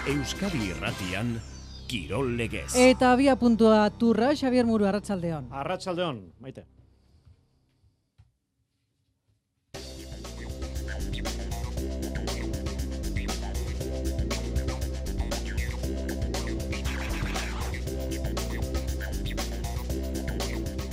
Euskadi Irratian, Kirol Legez. Eta abia puntua turra, Xabier Muru, arratsaldeon. Arratsaldeon, Maite.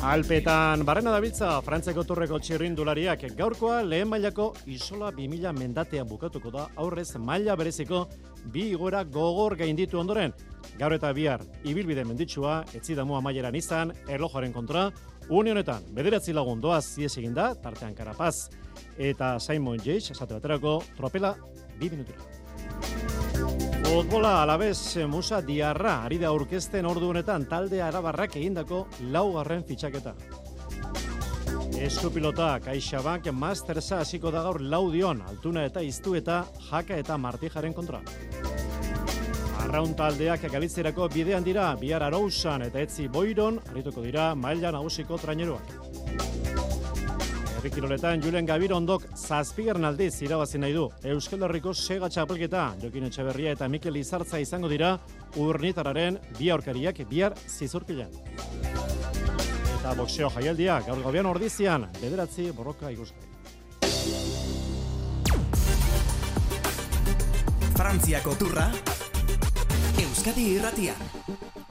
Alpetan barrena dabiltza Frantziako turreko txirrindulariak. Gaurkoa lehen mailako Isola 2000 mendatean bukatuko da, aurrez maila bereziko bi igoera gogor gainditu ondoren. Gaur eta bihar ibilbide menditsua etzidamu amaieran izan, erlojoaren kontra, une honetan 9 lagun doaz ihes eginda, tartean Carapaz eta Simon Yates, esate baterako tropela 2 minutura. Futbola Alavés Musa Diarra ari da aurkezten ordu honetan talde arabarrak egindako 4. fitxaketa. Eskupilota CaixaBank Mastersa hasiko da gaur Laudion, Altuna eta Iztu eta Jaka eta Martijaren kontra. Arraun taldeak Galizierako bidean dira, bihar Arousan eta Etzi Boiron arituko dira maila nagusiko traineruak. Herrikiroletan Julen Gabirondok 7. aldiz irabazi nahi du. Euskal Herriko Sega txapelketa Jokin Etxeberria eta Mikel Izartza izango dira Urnitararen bi aurkariak bihar Zizurkilan. Eta boxeo jaialdia gaur gauean Ordizian 9 borroka ikusgai. Frantziako turra, Euskadi Irratian.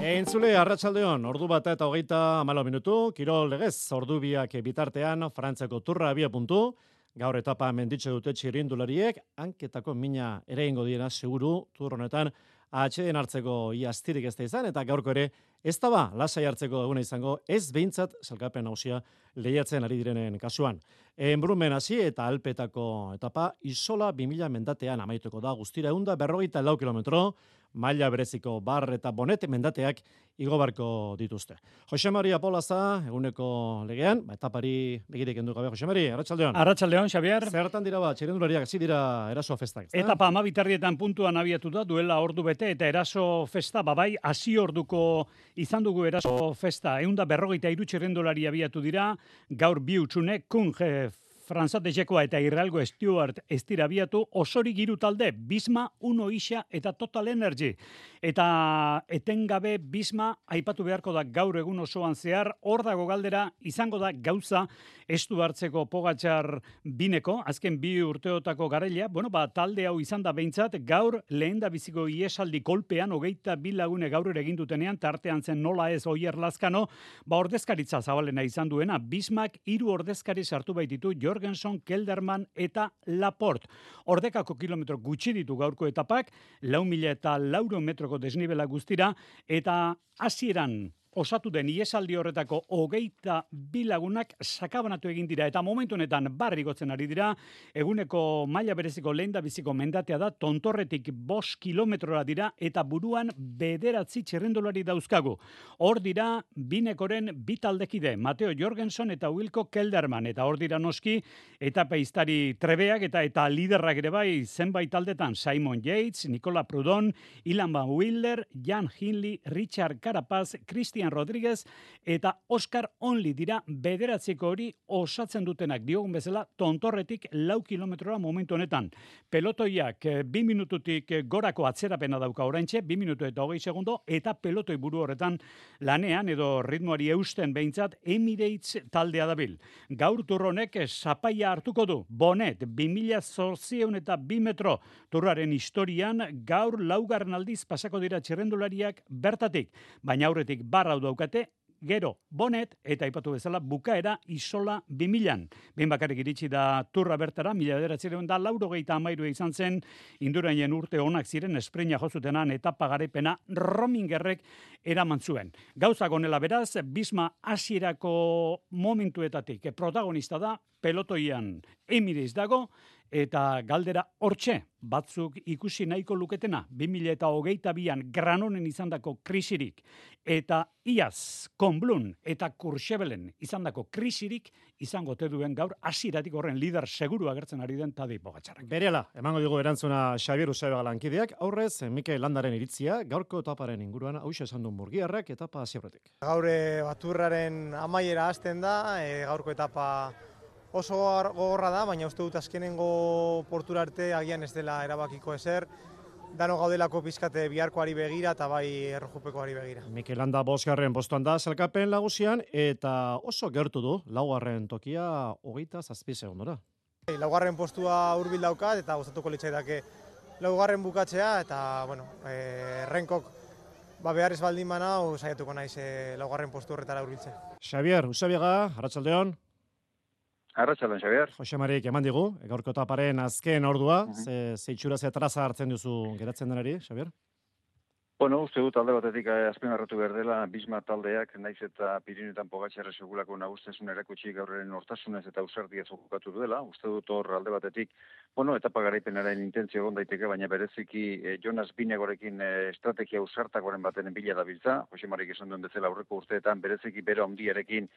Entzule, arratsaldeon, ordu 1:24 minutu, Kirol Legez, ordu biak bitartean, Frantziako turra abia puntu, gaur etapa menditxe dute txirrindulariek, hanketako mina ere ingo diena, seguru, turronetan, atxeden hartzeko iastirik ez da izan, eta gaurko ere, ez da ba, lasai hartzeko eguna izango, ez behintzat, salkapen nagusia lehiatzen ari direnen kasuan. Enbrumen hasi eta Alpetako etapa, Isola 2000 mendatean amaituko da, guztira 154 kilometro, maila bereziko bar eta bonet mendateak igobarko dituzte. Jose Maria Polaza, eguneko legean, etapari begirik endu gabe. Jose Maria, arratsaldeon. Arratsaldeon, Xabier. Zertan dira txirrindulariak hasi dira eraso festak. Etapa 12 puntuan abiatu da, duela ordu bete eta eraso festa, babai, hasi orduko izan dugu eraso festa. 153 txirrindulari abiatu dira, gaur bi utxune, Kunge, Franzate Jekoa eta Irralgo Stewart ez dira abiatu, Osori Giru talde, Bisma, Uno Isa eta Total Energy. Eta etengabe Bisma aipatu beharko da gaur egun osoan zehar, hor dago galdera, izango da gauza estu hartzeko Pogačar bineko, azken bi urteotako garailea, talde hau izan da behintzat, gaur lehen da biziko iesaldi kolpean, 22 lagune gaur ere egin dutenean, tartean zen nola ez Oier Lazkano, ordezkaritza zabalena izan duena, Bismak 3 ordezkari sartu baititu, Jorgenson, Kelderman eta Laporte. Ordekako kilometro gutxi ditu gaurko etapak, 4.000 eta 400 metroko desnibela guztira, eta hasieran osatu den iesaldi horretako 22 lagunak sakabanatu egin dira, eta momentu honetan barrigotzen ari dira, eguneko maila bereziko lehendabiziko mendatea da, Tontorretik 5 kilometrora dira, eta buruan 9 txirrindulari dauzkagu. Hor dira binekoren bi taldekide, Mateo Jorgenson eta Wilco Kelderman, eta hor dira noski, eta peiztari trebeak eta liderrak ere bai, zenbait taldetan, Simon Yates, Nicola Prudon, Ilan Van Wilder, Jan Hindley, Richard Carapaz, Christian Rodríguez eta Oscar Only dira 9 hori osatzen dutenak, diogun bezala Tontorretik 4 kilometrora momentu honetan. Pelotoiak 2 minututik gorako atzerapena dauka oraintxe, 2 minutu eta 20 segundo, eta pelotoi buru horretan lanean edo ritmoari eusten behintzat Emirates taldea dabil. Gaur turronek zapaia hartuko du, Bonet 2800 eta 2 metro turraren historian, gaur 4. aldiz pasako dira txirrendulariak bertatik, baina aurretik barra daukate, gero Bonet eta aipatu bezala bukaera Isola 2000. Behin bakarrik iritsi da turra bertara, 1993 izan zen, Indurainen urte onak ziren espreina jozutenan etapa garaipena Romingerrek eraman zuen. Gauzak honela beraz, Bisma hasierako momentuetatik protagonista da, pelotoian Emirates dago, eta galdera hortxe, batzuk ikusi nahiko luketena, 2022an Granonen izandako krisirik, eta iaz, Konblun eta Courchevelen izandako krisirik, izango te duen gaur, hasieratik horren lider seguru agertzen ari den Tadej Pogačarrak. Berela, emango digu erantzuna Xabier Usabega lankideak, aurrez, Mikel Landaren iritzia, gaurko etaparen inguruan, hauxe esan duen Murgiarrak, etapa hasi aurretik. Gaur baturraren amaiera hasten da, gaurko etapa oso gogorra da, baina uste dut azkenengo portura arte agian ez dela erabakiko ezer. dano gaudelako pizkate biharkoari begira eta bai errojupekoari begira. Mikel Landa 5. postuan da sailkapen nagusian eta oso gertu du 4. tokia 27 segundora. Laugarren postua hurbil daukat eta gustatuko litzaidake laugarren bukatzea eta bueno, Renkok behar ez baldin banau saiatuko naiz laugarren postu horretara hurbiltzen. Xavier Usabiaga, arratsaldeon. Arratsaldeon, Xavier. Jose Marik eman digu, gaurko etaparen azken ordua, ze itxura ze traza hartzen duzu geratzen denari, Xavier? Bueno, uste dut alde batetik azpimarratu behar dela, Bisma taldeak, naiz eta Pirinetan Pogačarra segulako nagustasun erakutsi gaurren hortasunez eta ausardia jokatu duela. Uste dut hor alde batetik, bueno, etapa garaipenaren intentzio egon daiteke, baina bereziki Jonas Binegorekin estrategia ausartakoren baten bila dabiltza. Jose Marik esan duen bezala aurreko urteetan bereziki bero handiarekin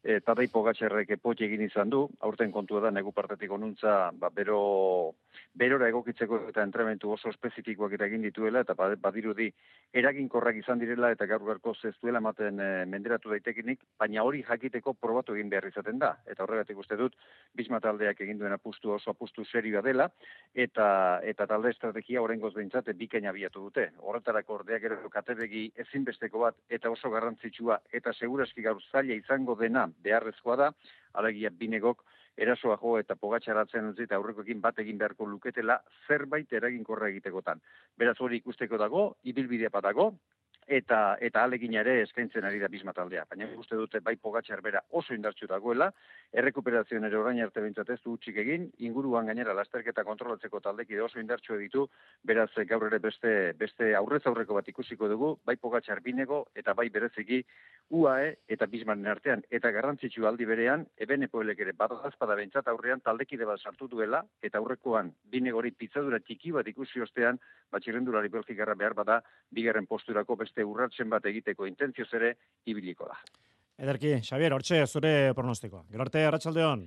Tadej Pogačarrek potxe egin izan du, aurten kontua da negu partetik onuntza berora egokitzeko eta entrenamendu oso espezifikoak egin dituela eta badirudi eraginkorrak izan direla eta gaur-gaurko ez duela ematen menderatu daitekinik, baina hori jakiteko probatu egin behar izaten da. Eta horregatik uste dut, Bisma taldeak egin duen oso apustu serioa dela eta talde estrategia oraingoz behintzat bikaina abiatu dute. Horretarako ordeak ere katebegi ezinbesteko bat eta oso garrantzitsua eta seguraski gaur zaila izango dena beharrezkoa da, alegia Binegok erasoa jo eta Pogačarratzen utzi eta aurrekoekin bat egin beharko luketela zerbait eraginkorra egitekotan. Beraz hori ikusteko dago, ibilbidea badago, eta alegina ere eskaintzen ari da Bisma taldea. Baina uste dute bai Pogačar bera oso indartsu dagoela, errekuperazioan ere orain arte behintzat ez du hutsik egin, inguruan gainera lasterketa kontrolatzeko taldekide oso indartsu ditu, beraz gaur ere beste aurrez aurreko bat ikusiko dugu, bai Pogačar Binego eta bai bereziki UAE eta Bismaren artean, eta garrantzitsu aldi berean, Ebenepoelek ere badazpada behintzat aurrean taldekide bat sartu duela, eta aurrekoan Binegori pitzadura txiki bat ikusi ostean, txirrendulari belgikarra behar bada, 2. posturako beste urratzen bat egiteko intentzioz ere ibiliko da. Ederki, Xavier, hortxe zure pronostikoa. Gero arte, arratsaldeon.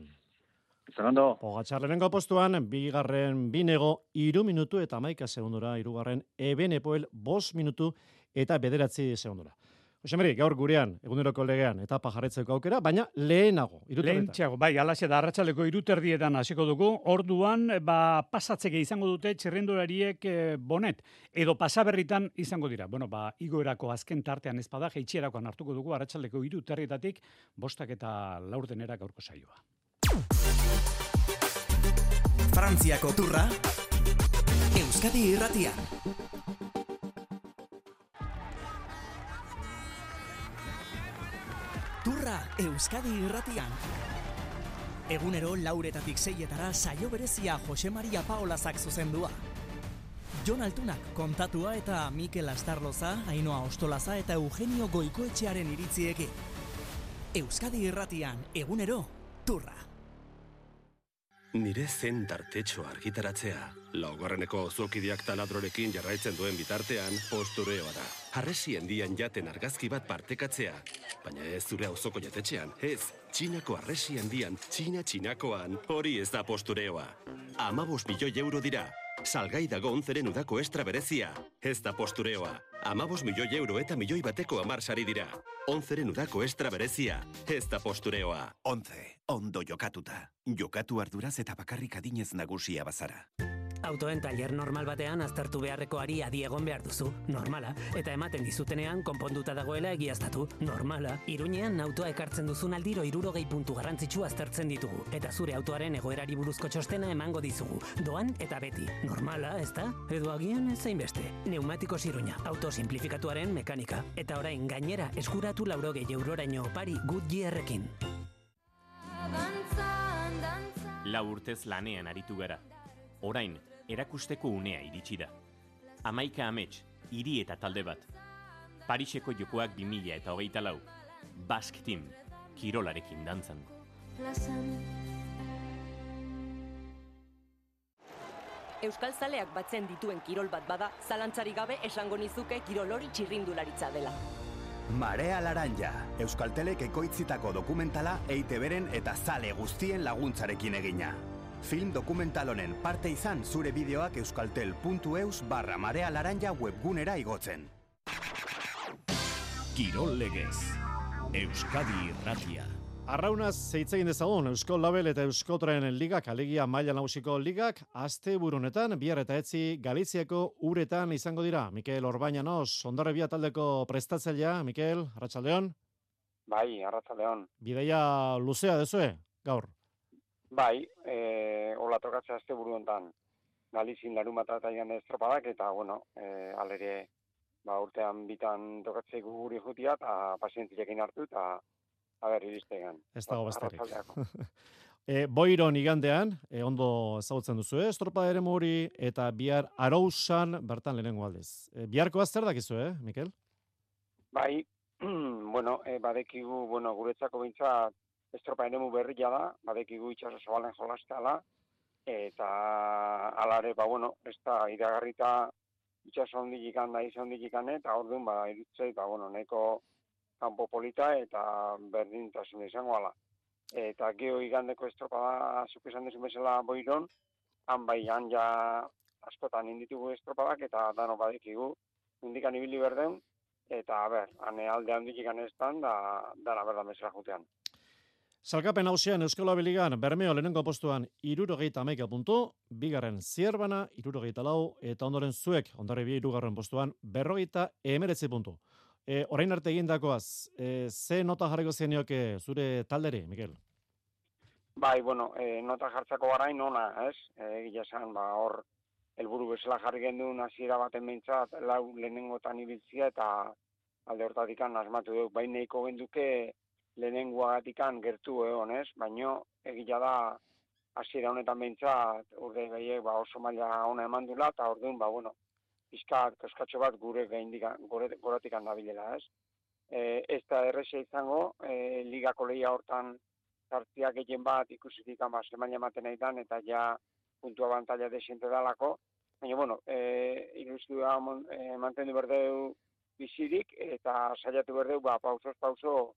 Izan ondo. Pogačar lehenengo postuan, 2. Binego 3 minutu eta 11 segundura, 3. Ebenepoel 5 minutu eta 9 segundura. Jose Mari, gaur gurean, eguneroko legean, etapa jarretzeko aukera, baina lehenago, Lehentxeago, bai, alaxe da, arratsaldeko 3:00 hasiko dugu, orduan, pasatzeke izango dute txirrendulariek bonet, edo pasaberritan izango dira. Bueno, igoerako azken tartean ezpada, jaitsierako hartuko dugu, arratsaldeko 3:00 5 eta 4 gaurko saioa. Frantziako turra, Euskadi Irratian. Turra Euskadi Irratian. Egunero 4:00 6:00 saio berezia Jose Maria Paolazak zuzendua. Jon Altunak kontatua eta Mikel Astarloza, Ainhoa Ostolaza eta Eugenio Goikoetxearen iritziekin. Euskadi Irratian, egunero, turra. Nire zen tartetxo argitaratzea. Laugarreneko zokidiak taladrorekin jarraitzen duen bitartean postureoa da. Harresi handian jaten argazki bat partekatzea. Baina ez zure auzoko jatetxean, ez. Txinako harresi handian, txinakoan, hori ez da postureoa. 15 milioi euro dira. Salgai dago 11ren udako estra berezia. Ez da postureoa. 15 milioi euro eta milioi bateko 10 sari dira. 11ren udako estra berezia. Ez da postureoa. 11. Ondo jokatuta. Jokatu arduraz eta bakarrik adinez nagusia bazara. Autoen tailer normal batean aztertu beharrekoari adi egon behar duzu, normala. Eta ematen dizutenean konponduta dagoela egiaztatu, normala. Iruñean autoa ekartzen duzun aldiro 60 puntu garrantzitsu aztertzen ditugu. Eta zure autoaren egoerari buruzko txostena emango dizugu. Doan eta beti, normala, ezta? Edo agian ez zainbeste. Neumatikos Iruña, auto simplifikatuaren mekanika. Eta orain gainera eskuratu 80 euroraino opari Goodyearrekin. 4 urtez lanean aritu gara. Orain, erakusteko unea iritsi da. 11 amets, hiri eta talde bat. Pariseko jokoak 2024. Basque Team, kirolarekin dantzan. Euskaltzaleak batzen dituen kirol bat bada, zalantzari gabe esango nizuke kirol hori txirrindularitza dela. Marea Laranja, Euskaltelek ekoitzitako dokumentala EITB-ren eta zale guztien laguntzarekin egina. Film dokumental honen parte izan zure bideoak euskaltel.eus/Marea Laranja webgunera igotzen. Kirol legez, Euskadi Irratia. Arraunaz hitz egin dezagun Eusko Label eta Euskotren ligak, alegia maila nagusiko ligak, asteburunetan bihar eta etzi Galiziako uretan izango dira. Mikel Orbañanos, Hondarribia taldeko prestatzailea. Mikel, arratsaldeon. Bai, arratsaldeon. Bidaia luzea dezue, gaur. Bai, hola tokatzea asteburu hontan. Galizin larunbata eta igan estropadak eta alere urtean bitan tokatzea guri jutia eta pazientziakin hartu eta iristegan. Ez dago besterik. Boiron igandean, ondo ezagutzen duzu, estropada ere hori eta bihar Arousan bertan lehenengo aldez. Biharko zer dakizu, Mikel? Bai, badekigu, guretzako behintzat estropa eremu berria da, badekigu itxaso zabalen jolastela, eta alare, ez da iragarrita itxaso hondikikan da izan hondikikan, eta orduan, irutzei, nahiko kanpo polita eta berdintasun izango ala. Eta geho igandeko estropada, zuk esan desu bezala Boiron, han ja askotan inditugu estropadak eta dano badekigu, indikan ibili berden, eta hane alde handik ikan estan, dara berdan bezala jutean. Salkapen hausian Euskal Abiligan, Bermeo lehenengo postuan 71 puntu, bigarren Zierbana 74 eta ondoren zuek, Hondarribia 3. postuan 59 puntu. Orain arte egindakoaz, ze nota jarriko zenioke zure talderi, Mikel? Bai, nota jartzako garain ona, ez? Egia esan, hor, helburu bezala jarri gendun hasiera baten behintzat, lau lehenengotan ibiltzia eta alde hortatikan asmatu dugu. Baina nahiko genduke lehenengoagatikan gertu egon, ez? Baina egia da hasiera honetan behintzat, urde gehiek oso maila ona eman dula, eta orduan, pizkat, koskatxo bat goratikan dabilela, ez? Ez da errexea izango, ligako lehia hortan zartziak egin bat ikusitik semaila ematen nahi dan, eta ja puntu abantaila desiente dalako. Baina, ilusioa mantendu berdeu bizirik, eta saiatu berdeu, pauso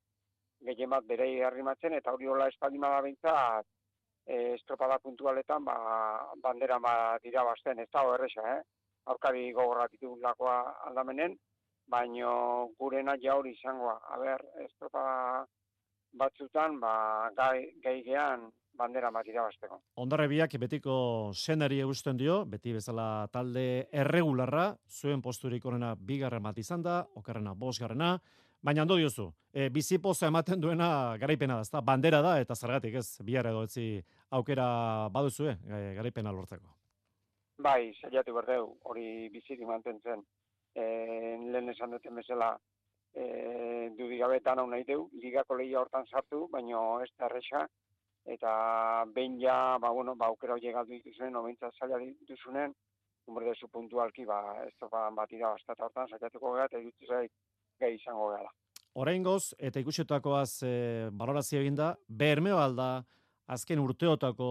gehien bat berei arrimatzen, eta hori hola espaldima da behintzat, estropada puntualetan, bandera bat irabazten, ez da errexa, aurkari gogorratitu lakoa aldamenen, baino gurena ja hori izangoa. Estropada batzutan, gai gean bandera bat irabazteko. Hondarribiak betiko senari egusten dio, beti bezala talde erregularra, zuen posturik onena 2. bat izan da, okerrena 5. Baina ondo diozu, bizipoza ematen duena garaipena da, ezta? Bandera da, eta zergatik ez, bihar edo etzi aukera baduzue, garaipena lortzeko. Bai, saiatu berdeu, hori bizirik mantentzen. Lehen esan duten bezala dudigabetan hau nahi deu, ligako lehia hortan sartu, baina ez da erresa, eta behin ja, aukera hori galdu dituzunen, obentzat zaila dituzunen, umberdezu puntualki, estropadan bat irabaztata hortan, saiatuko gara, eta dituzait gai izango gara. Oraingoz, eta ikusitakoaz balorazio eginda, Bermeo alda, azken urteotako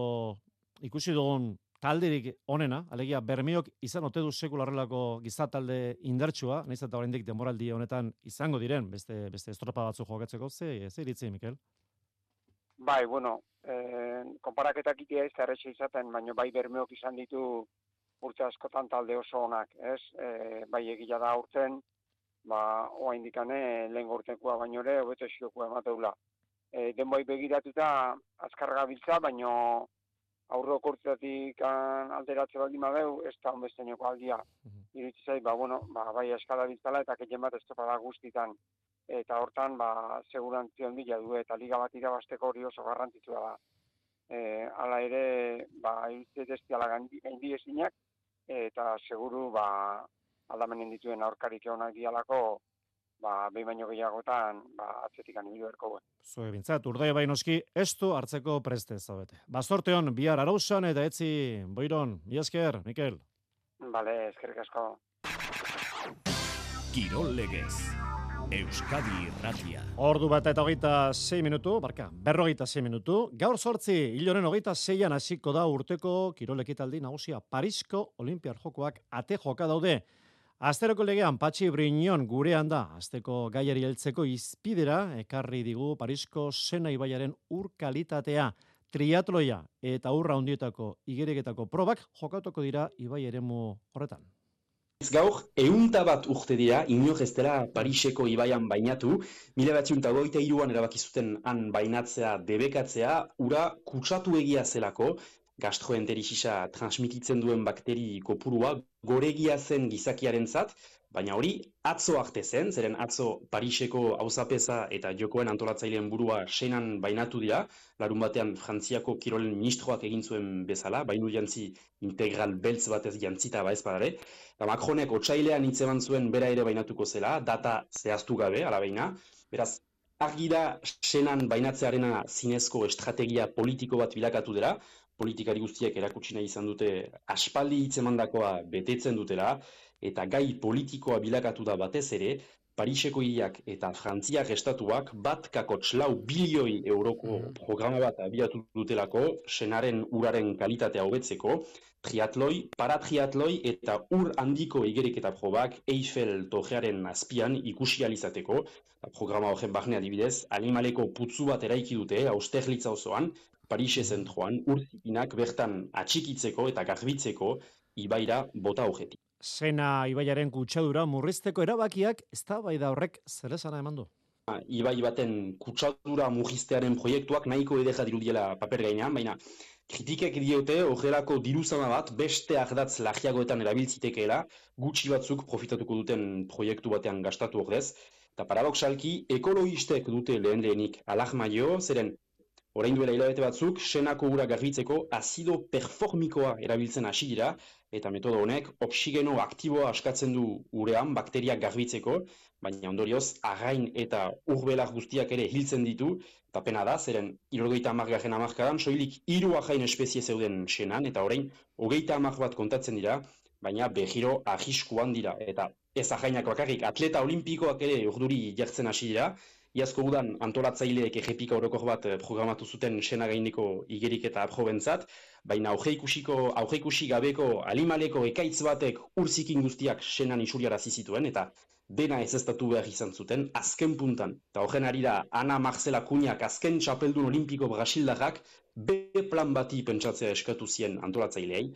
ikusi dugun talderik onena, alegia Bermeok izan ote du sekularrelako gizatalde indartsua, nahiz eta oraindik denboraldi honetan izango diren, beste estropa batzu jokatzeko, ze iritzi, Mikel? Bai, konparaketak itea ez da erretxe izaten, baina bai Bermeok izan ditu urte askotan talde oso onak, ez? Bai egila da urten, oa indikane lehen urtekoa baino ere, hobeto esiokoa emateula. Denboi begiratuta azkarra gabiltza, baina aurrok urteatik alderatze baldin badeu, ez da honbesteineko aldia. Iritsi zait, bai eskala biltzala eta ketien bat estropada guztitan. Eta hortan, segurantzia handia du eta liga bat irabazteko hori oso garrantzitsua da. Hala ere, iritsi destiala gaindi ezinak, eta seguru, aldamenen dituen aurkarik egonak dialako, behin baino gehiagotan, atzetik anibidu erko guen. Zue bintzat, urdai bainoski, estu hartzeko preste zaudete. Zorte hon, bihar Arousan eta etzi Boiron. Mila esker, Mikel. Bale, eskerrik asko. Kirol legez. Euskadi Irratia. Ordu bat eta 26 minutu, 56 minutu. Gaur 8, hiloren 26an hasiko da urteko kirol ekitaldi nagusia Parisko Olinpiar Jokoak ate joka daude. Asteroko legean Patxi Briñon gurean da, asteko gaiari heltzeko izpidera ekarri digu Parisko Sena ibaiaren ur kalitatea, triatloia eta urra hondietako igereketako probak jokatuko dira ibai eremu horretan. gaur, 101 urte dira, inor ez dela Pariseko ibaian bainatu, 1923an erabaki zuten han bainatzea debekatzea, ura kutsatu egia zelako, gastroenterisisa transmititzen duen bakteri kopurua, goregia zen gizakiarentzat, baina hori atzo arte zen, zeren atzo Pariseko auzapeza eta jokoen antolatzaileen burua senan bainatu dira, larun batean Frantziako kirolen ministroak egin zuen bezala, bainu jantzi integral beltz batez jantzita ba ez badare, eta Macronek otsailean hitz eman zuen bera ere bainatuko zela, data zehaztu gabe, alabeina, beraz, argi da senan bainatzearena zinezko estrategia politiko bat bilakatu dela, politikari guztiek erakutsi nahi izan dute aspaldi hitz emandakoa betetzen dutela, eta gai politikoa bilakatu da batez ere, Pariseko hiriak eta Frantziak estatuak 1,4 bilioi euroko programa bat abiatu dutelako, senaren uraren kalitatea hobetzeko, triatloi, paratriatloi eta ur handiko igeriketa probak Eiffel torearen azpian ikusi alizateko. Programa horren barne adibidez, animaleko putzu bat eraiki dute, Austerlitza osoan, Parise zentroan, ur zikinak bertan atxikitzeko eta garbitzeko ibaira bota horretik. Sena ibaiaren kutsadura murrizteko erabakiak eztabaida horrek zer esana eman du? Ibai baten kutsadura murriztearen proiektuak nahiko ederra dirudiela paper gainean, baina kritikek diote horrelako diruzama bat beste ardatz lagiagoetan erabiltzitekeela, gutxi batzuk profitatuko duten proiektu batean gastatu ordez, eta paradoxalki ekologistek dute lehenik alarma jo, zeren orain duela hilabete batzuk, senako ura garbitzeko azido performikoa erabiltzen hasi dira, eta metodo honek oxigeno aktiboa askatzen du urean bakteriak garbitzeko, baina ondorioz arrain eta urbelar guztiak ere hiltzen ditu, eta pena da, zeren 70. hamarkadan soilik 3 arrain espezie zeuden senan, eta orain 30 bat kontatzen dira, baina behiro arriskuan dira, eta ez arrainak bakarrik, atleta olimpikoak ere urduri jartzen hasi dira, iazko udan antolatzaileek errepika orokor bat programatu zuten sena gaineko igerik eta aprobentzat, baina aurreikusi gabeko animaleko ekaitz batek urzikin guztiak senan isuriarazi zituen, eta dena ezeztatu behar izan zuten azken puntan. Eta horren ari da Ana Marcela Cunhak azken txapeldun olimpiko brasildarrak B-plan bati pentsatzea eskatu zien antolatzaileei,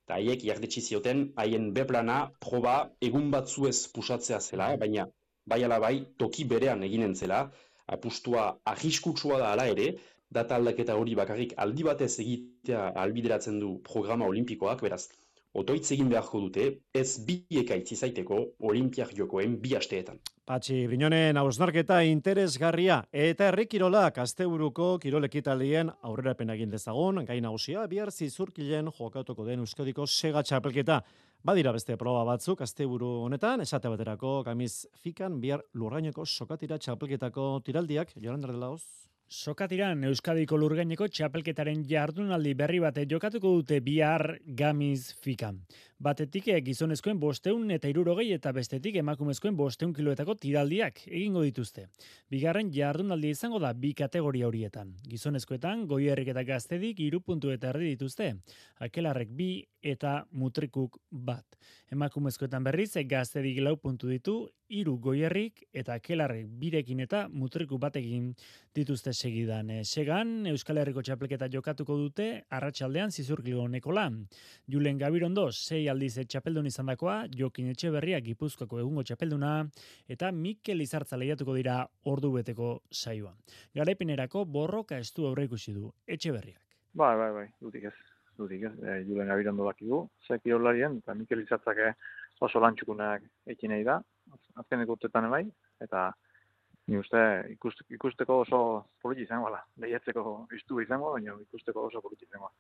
eta haiek jardetsi zioten haien B-plana proba egun batzuez pusatzea zela, baina bai ala bai toki berean eginen zela, apustua arriskutsua da hala ere, data aldaketa hori bakarrik aldi batez egitea albideratzen du programa olimpikoak, beraz, otoitz egin beharko dute, ez bi ekaitz izaiteko olimpiak jokoen 2 asteetan. Patxi Brinonen hausnarketa interesgarria eta herrikirolak asteburuko kirolekitaldien aurrerapen egin dezagun, gai nagusia bihar Zizurkilen jokatuko den Euskadiko sega txapelketa. Badira beste proba batzuk asteburu honetan, esate baterako Kamiz Fikan bihar Lurgaineko sokatira txapelketako tiraldiak, Jolanda Delaoz. Sokatiran Euskadiko Lurgaineko txapelketaren jardunaldi berri bate jokatuko dute bihar Gamiz Fikan. Batetik gizonezkoen 560 eta bestetik emakumezkoen 500 kiloetako tiraldiak egingo dituzte. Bigarren jardunaldi izango da 2 kategoria horietan. Gizonezkoetan Goierrik eta Gaztedik 3 puntu eta erdi dituzte. Akelarrek 2 eta Mutrikuk 1. Emakumezkoetan berriz Gaztedik 4 puntu ditu, 3 Goierrik eta Akelarrek 2rekin eta Mutrikuk 1ekin dituzte segidan. Segan Euskal Herriko txapelketa jokatuko dute arratsaldean Zizurkilgoneko lan. Julen Gabirondo 6 aldiz txapeldun izandakoa, Jokin Etxeberria Gipuzkoako egungo txapelduna eta Mikel Izartza lehiatuko dira ordubeteko saioan. Garaipenerako borroka estu aurreikusi du Etxeberriak. Bai, dudik ez. Julen Gabirondo dakigu, zekirolarien, eta Mikel Izartzak oso lantxukunak ekin nahi da, azkeneko urtetan bai, eta ni uste ikusteko oso politi izango da. Lehiatzeko iztu izango, baina ikusteko oso politi izango.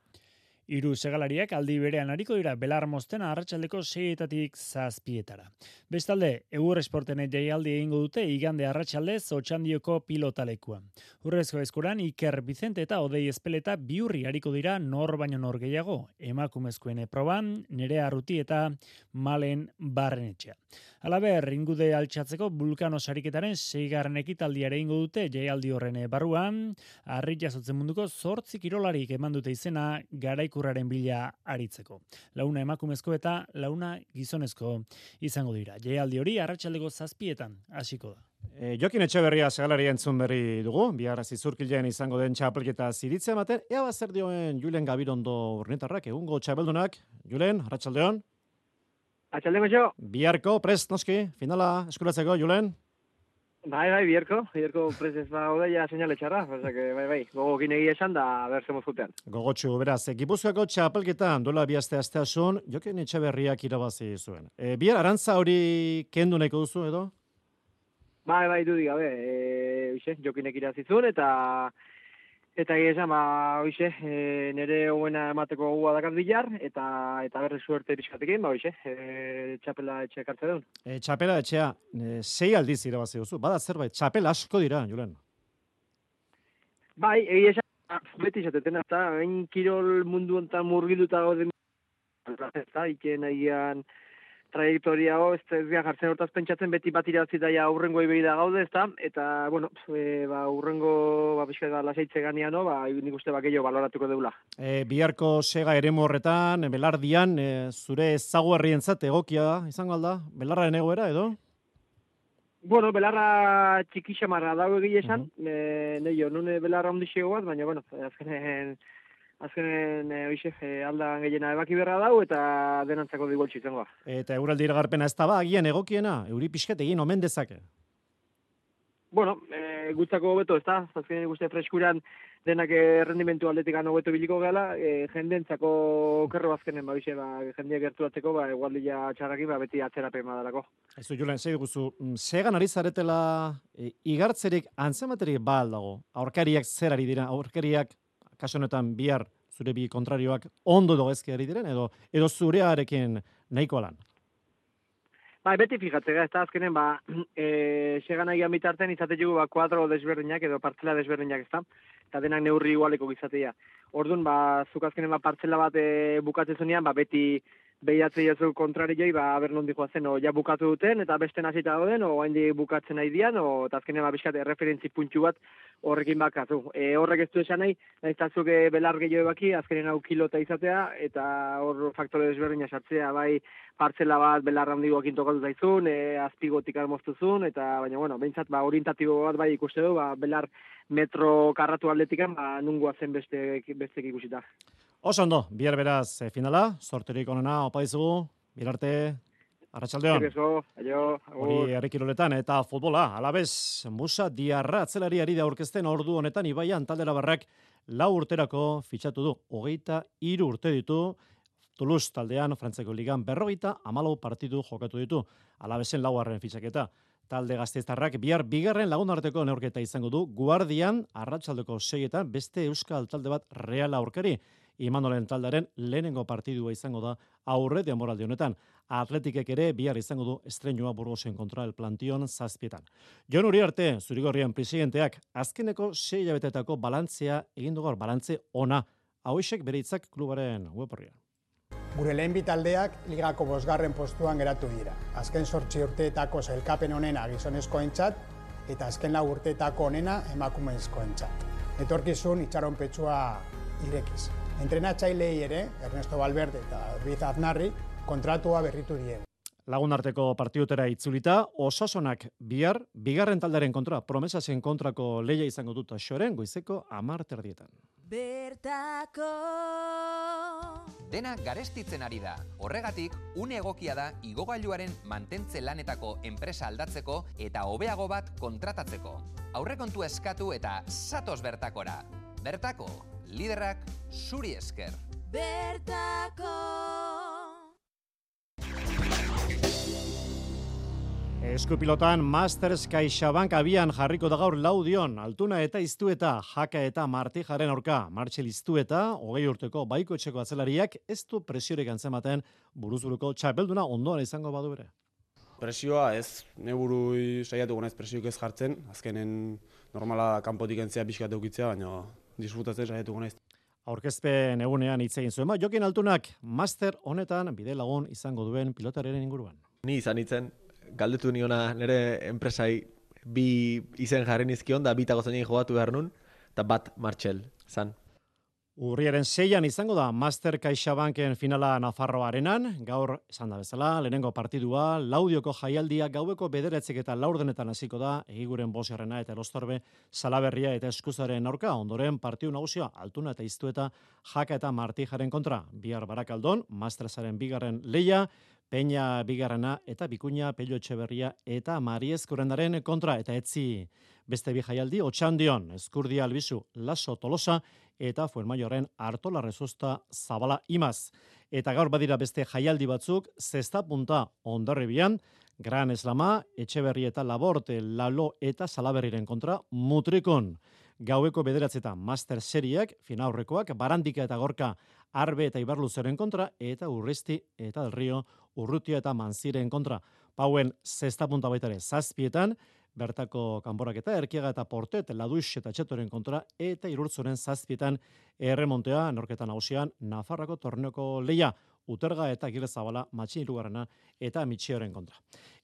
3 segalariak aldi berean ariko dira Belar Mosten arratsaldeko 6etatik 7etara. Bestalde, Egur Esporten jaialdi egingo dute igande arratsaldez Otxandioko pilotalekuan. Urrezko eskuran Iker Vicente eta Odei Espeleta biurri ariko dira nor baino nor gehiago, emakumezkoen proban, Nerea Arruti eta Malen Barrenetxea. Halaber, ingude altxatzeko Vulkano sariketaren 6. ekitaldiare egingo dute jaialdi horren barruan, harri jasotzen munduko 8 kirolarik eman dute izena garaikurraren bila aritzeko. 4 emakumezko eta 4 gizonezko izango dira. Jaialdi hori arratsaldeko 7etan hasiko da. Jokin Etxeberria segalari entzun berri dugu, bihar Zizurkilen izango den txapelketa ziritzea ematen, ea zer dioen Julen Gabirondo urnetarrak, egungo txapeldunak. Julen, arratsaldeon. Atxaldeko jo. Biharko, prest, noski, finala eskuratzeko, Julen? Bai, biharko prest ez gaude ja seinale txarra, osea que bai, gogokin egia esan da ber zemuz jutean. Gogotsu, beraz, Gipuzkoako txapelketan duela bi asteasun, Jokin Etxeberriak irabazi zuen. Bihar arantza hori kendu nahiko duzu edo? Bai, dudik gabe, Jokinek irabazi zuen eta egia esan, nire hoena emateko gua dakat bilar, eta berri suerte pixkatekin, txapela etxe ekartze duen. Txapela etxea, 6 aldiz irabazi duzu, bada zerbait, txapela asko dira, Julen. Bai, egia esan, beti izaten, eta hain kirol mundu ontan murgilduta gauden, eta iken egian trajektoria ez gara jartzen hortaz pentsatzen, beti bat irabazi daia aurrengo iberi da gaude, eta, aurrengo, pixka lasaitze ganean, nik uste gehiago baloratuko deula. Biharko sega eremu horretan, belardian, zure ezaguarrientzat egokia izango alda? Belarraren egoera, edo? Bueno, belarra txikixamarra dago egia esan, nune belarra ondixego bat, baina, azkenen aldan gehiena ebaki berra dau eta denantzako digoltsi izango. Eta euraldi iragarpena ez da agian egokiena, euri pixket egin omen dezake? Bueno, gutzako hobeto ez da, azkenen guzti freskuran denak rendimentu aldetikan hobeto biliko gala, jendentzako kerro azkenen, jendeak gerturatzeko, egualdia txarraki, beti atzerapen badalako. Ezu, Julen, zei duguzu, segan ari zaretela igartzerik antzematerik dago, aurkariak zer ari dira, aurkariak kaso honetan bihar zure bi kontrarioak ondo dogezke ari diren, edo zurearekin nahiko lan? Beti fijatzea, ez da azkenen, segan agian bitarten izatetugu kuadro desberdinak edo partzela desberdinak ez da, eta denak neurri igualeko gizatea. Orduan, zuk azkenen partzela bat bukatzen zunean, beti behiatzei ez du kontrarioi, aber nondi joazen, ja bukatu duten, eta beste nazita dauden, haindi bukatzen nahi dian, eta azkenen bizkat referentzi puntxu bat horrekin bakatu. Horrek ez du esan nahi, nahiztazuk belar gehiago baki, azkenen hau kilota izatea, eta hor faktore desberdina sartzea, partzela bat belarra handikoakin tokatu zaizun, azpigotik armoztuzun, eta baina, behintzat, orientatibo bat ikuste du, belar metro karratu aldetikan, nungoa zen bestek ikusita. Oso ondo, bihar beraz finala, sorterik onena, opa dizugu, birarte, arratsaldeon. Hori herrikiroletan eta futbola, alabez, Musa Diarra atzelari ari da aurkezten ordu honetan Ibaian taldera barrak 4 urterako fitxatu du, 23 urte ditu, Toulouse taldean, Frantzeko ligan 54 partidu jokatu ditu, alabezen 4. fitxaketa. Talde gasteiztarrak bihar bigarren lagunarteko neurketa izango du, Guardian arratsaldeko 6etan beste euskal talde bat Real aurkari. Imanolen taldaren lehenengo partidua izango da aurre denboraldi honetan. Atletikek ere bihar izango du estreinua Burgosen kontra el Plantion 7etan. Jon Uriarte, Zurigorrian presidenteak, azkeneko 6 hilabetetako balantzea egin du gaur, balantze ona. Hauexek bere hitzak klubaren web-orrian. Gure lehen bi taldeak ligako 5. postuan geratu dira. Azken 8 urteetako sailkapen onena gizonezkoentzat eta azken 4 urteetako onena emakumezkoentzat. Etorkizun itxaronpetsua irekiz. Entrenatzailei ere, Ernesto Valverde eta Ruiz Aznarri, kontratua berritu die. Lagunarteko partidutera itzulita, Osasunak bihar, bigarren taldaren kontra, Promesasen kontrako lehia izango dut Xoren, goizeko 10:00 Bertako dena garestitzen ari da. Horregatik, une egokia da igogailuaren mantentze lanetako enpresa aldatzeko eta hobeago bat kontratatzeko. Aurrekontu eskatu eta zatoz bertakora. Bertako, liderrak zuri esker. Bertako. Eskupilotan Masters CaixaBank abian jarriko da gaur Laudion, Altuna eta Iztueta, Jaka eta Martijaren aurka, Martxel Iztueta, 20 urteko baiko etxeko atzelariak ez du presiorik antzematen buruzburuko txapelduna ondoan izango badu ere. Presioa ez, neburu saiatuko naiz presioik ez jartzen, azkenen normala kanpotik entzea pixkat eukitzea, baina disfrutatzen saiatuko naiz. Aurkezpen egunean hitz egin zuen, Jokin Altunak master honetan bide lagun izango duen pilotaren inguruan. Ni izan hitzen, galdetu niona nire enpresai bi izen jarri nizkion, da bitako zein jogatu behar nun, eta bat Martxel, zan. Urriaren 6an izango da Master CaixaBanken finala Nafarroarenan, gaur esan da bezala, lehenengo partidua, Laudioko jaialdia gaueko 9 eta 4 hasiko da, Egiguren Bosgarrena eta Elostorbe Salaberria eta Eskuzaren aurka, ondoren partidu nagusia Altuna eta Iztueta, Jaka eta Martijaren kontra, bihar Barakaldon, Mastersaren bigarren lehia, Peña bigarrena eta Bikuña, Pello Etxeberria eta Mariez Kurendaren kontra, eta etzi beste bi jaialdi, Otxandion, Eskurdia Albizu, Laso Tolosa eta Fuenmaioren Artola Rezosta Zabala Imaz. Eta gaur badira beste jaialdi batzuk, Zesta Punta Hondarribian, Gran Eslama, Etxeberri eta Laborte, Lalo eta Salaberriren kontra, Mutrikon. Gaueko 9 Master Seriak, finaurrekoak, Barandika eta Gorka, Arbe eta Ibarluzeren kontra, eta Urristi eta Del Rio, Urrutia eta Manziren kontra. Pauen Zesta Punta baitare 7 bertako kanboraketa, Erkiaga eta Portet, Laduix eta Txetoren kontra, eta Irurtzoren 7 erremontea, norketa nagusian, Nafarrako torneoko leia, Uterga eta Agirrezabala, Matxin Irugarrena eta Mitxioren kontra.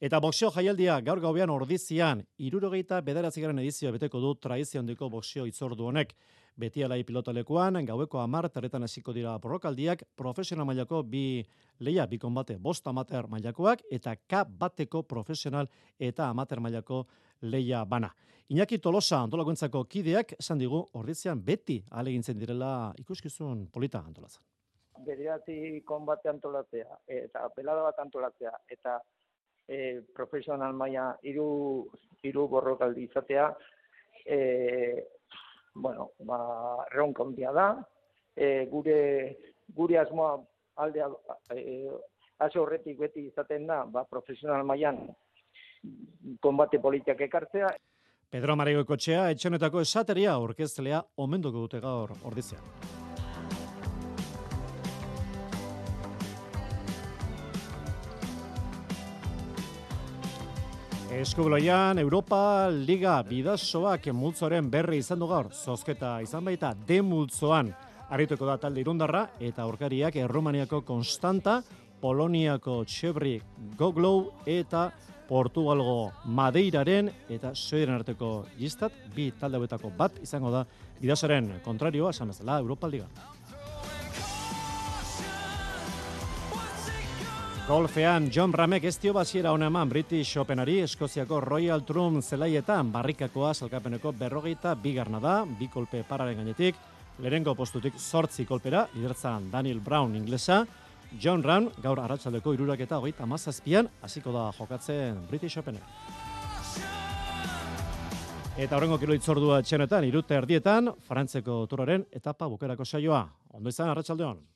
Eta boxeo jaialdia gaur gauean Ordizian, 79. edizioa beteko du tradizio handiko boxeo hitzordu honek. Beti alai pilotalekuan, gaueko 10 terretan hasiko dira borrokaldiak, profesional mailako bi leia, bi konbate, 5 amateur mailakoak, eta K bateko profesional eta amateur mailako leia bana. Iñaki Tolosa antolakuntzako kideak esan digu Ordizian beti ahalegintzen direla ikuskizun polita antolatzen. Bederatzi konbate antolatzea, eta pelada bat antolatzea, eta profesional maila hiru borrokaldi izatea, erronka handia da, gure asmoa aldea hasi horretik beti izaten da, profesional mailan konbate politiak ekartzea. Pedro Marigoikotxea etxenetako esateria orkezlea omenduko dute gaur Ordizian. Eskubloian, Europa Liga bidasoak multzoren berri izan du gaur. Zozketa izan baita demultzoan arituko da talde irundarra eta aurkariak Errumaniako Konstanta, Poloniako Txebri Goglou eta Portugalgo Madeiraren eta Suediren arteko jistat, bi talde hauetako bat izango da bidasoren kontrarioa, esan bezala Europa Liga. Golfean, John Ramek ez dio basiera hona eman British Openari, Eskoziako Royal Trump zelaietan barrikakoa salkapeneko 42 da, bi kolpe pararen gainetik, lehenengo postutik 8 kolpera, lidertzan Daniel Brown inglesa, John Ram gaur arratsaldeko 37an hasiko da jokatzen British Openen. Eta horrengo kilo hitzordua etxenetan, 3:30, Frantzeko turaren etapa bukerako saioa. Ondo izan, arratsaldeon.